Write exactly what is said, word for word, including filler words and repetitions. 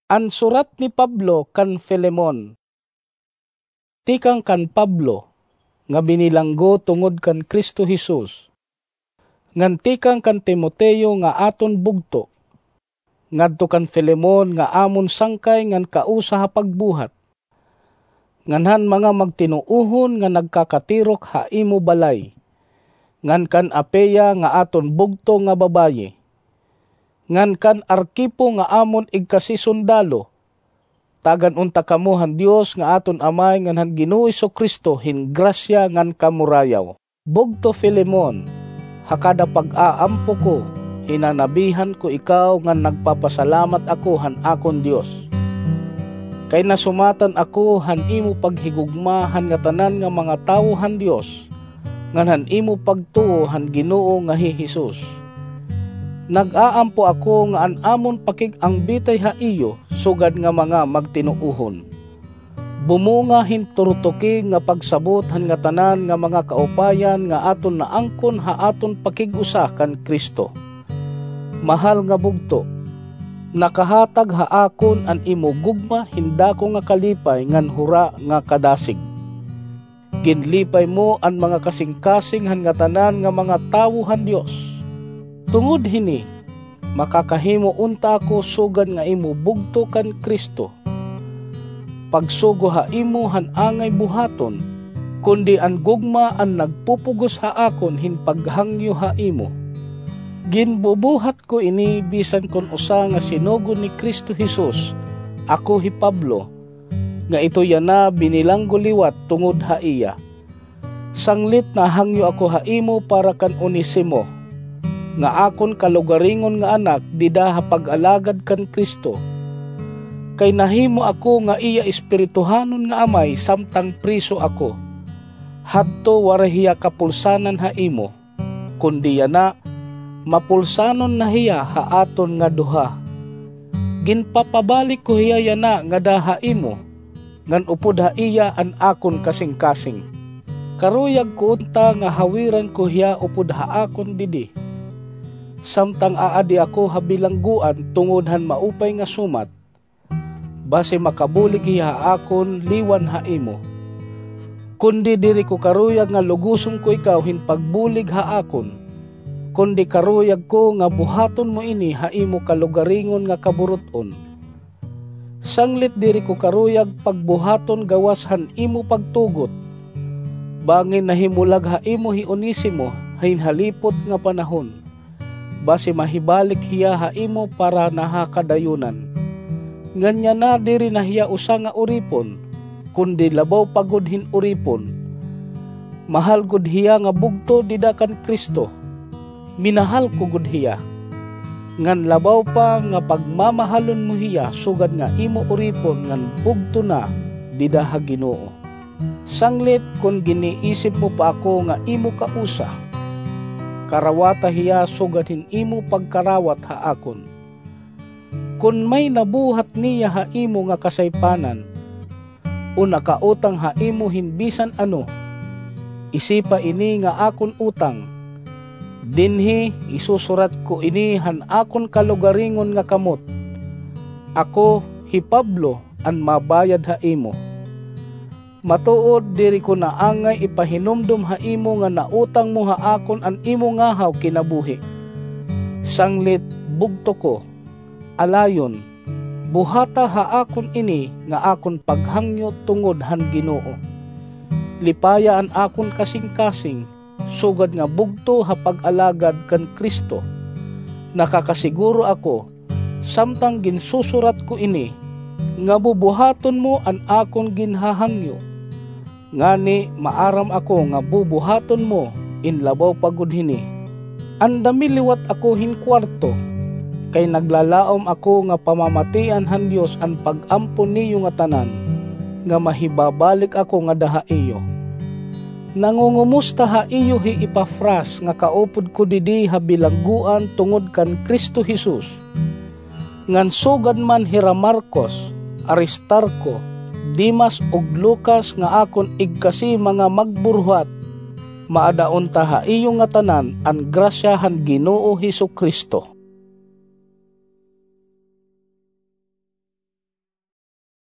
An surat ni Pablo kan Filemon. Tikang kan Pablo, nga binilanggo tungod kan Cristo Jesus, ngan tikang kan Timoteo nga aton bugto, ngadto kan Filemon nga amon sangkay ngan kausa ha pagbuhat, ngan han mga magtinuohon nga nagkakatirok ha imo balay, ngan kan Apia nga aton bugto nga babaye, ngan kan Arquipo nga amon igkasisundalo. Tagan unta kamo han Dios nga aton Amay ngan han Ginoo Jesu-Cristo hin grasya ngan kamurayaw. Bugto Filemon, ha kada pag-aampo ko, hinanabihan ko ikaw ngan nagpapasalamat ako han akon Dios. Kay nasumatan ako han imo paghigugma han ngatanan nga mga tawo han Dios, ngan han imo pagtuo han Ginoo nga hi Jesus. Nag-aampo ako nga an amon pakig-angbitay ha iyo sugad nga mga magtinuohon bumunga hin turtukig nga pagsabot han ngatanan nga mga kaupayan nga aton naangkon ha aton pakig-usa kan Cristo. Mahal nga bugto, nakahatag ha akon an imo gugma hin dako nga kalipay ngan hura nga kadasig. Ginlipay mo an mga kasingkasing han ngatanan nga mga tawo han Dios. Tungod hini, makakahimo unta ako sugad nga imo bugto kan Cristo. Pagsugo ha imo han angay buhaton, kundi an gugma an nagpupugos ha akon hin paghangyo ha imo. Ginbubuhat ko ini bisan kon usa nga sinugo ni Cristo Jesus, ako hi Pablo, nga ito yana binilanggo liwat tungod ha iya. Sanglit nahangyo ako ha imo para kan Onesimo, nga akon kalugaringon nga anak dida ha pag-alagad kan Cristo. Kay nahimo ako nga iya espirituhanon nga amay samtang priso ako. Hadto waray hiya kapulsanan ha imo, kundi yana, mapulsanon na hiya ha aton nga duha. Ginpapabalik ko hiya yana ngada ha imo, ngan upod ha iya an akon kasingkasing. Karuyag ko unta nga hawiran ko hiya upod ha akon didi, samtang aadi ako ha bilangguan tungod han maupay nga sumat, basi makabulig hiya ha akon liwan ha imo. Kundi diri ko karuyag nga lugoson ko ikaw hin pagbulig ha akon, kundi karuyag ko nga buhaton mo ini ha imo kalugaringon nga kaburut-on. Sanglit diri ko karuyag pagbuhaton gawas han imo pagtugot, bangin nahimulag ha imo hi Onesimo hin halipot nga panahon. Basi mahibalik hiya ha imo para na ha kadayunan. Ngan yana diri na hiya usa nga uripon, kundi labaw pa gud hin uripon. Mahal gud hiya nga bugto dida kan Cristo. Minahal ko gud hiya. Ngan labaw pa nga pagmamahalon mo hiya sugad nga imo uripon ngan bugto na dida ha Ginoo. Sanglit kon giniisip mo pa ako nga imo kausa, karawata hiya sugad hin imo pagkarawat ha akon. Kon may nabuhat niya ha imo nga kasaypanan, o nakautang ha imo hin bisan ano, isipa ini nga akon utang. Dinhi isusurat ko ini han akon kalugaringon nga kamot. Ako, hi Pablo, an mabayad ha imo. Matuod, diri ko na angay ipahinumdom ha imo nga nautang mo ha akon an imo ngahaw kinabuhi. Sanglit, bugto ko. Alayon, buhata ha akon ini nga akon paghangyo tungod han Ginoo. Lipaya an akon kasingkasing, sugad nga bugto ha pag-alagad kan Cristo. Nakakasiguro ako, samtang ginsusurat ko ini, nga bubuhaton mo an akon ginhahangyo, ngani maaram ako nga bubuhaton mo in labaw pa gud hini. Andami liwat ako hin kuwarto, kay naglalaom ako nga pamamatian han Dios an pag-ampo niyo ngatanan, nga mahibabalik ako ngada ha iyo. Nangungumusta ha iyo hi Epafras nga kaupod ko didi ha bilangguan tungod kan Cristo Jesus. Ngan sugad man hira Marcos, Aristarco, Demas ug Lucas nga akon igkasi mga magburuhat, maada unta ha iyo ngatanan an grasya han Ginoo Jesu-Cristo.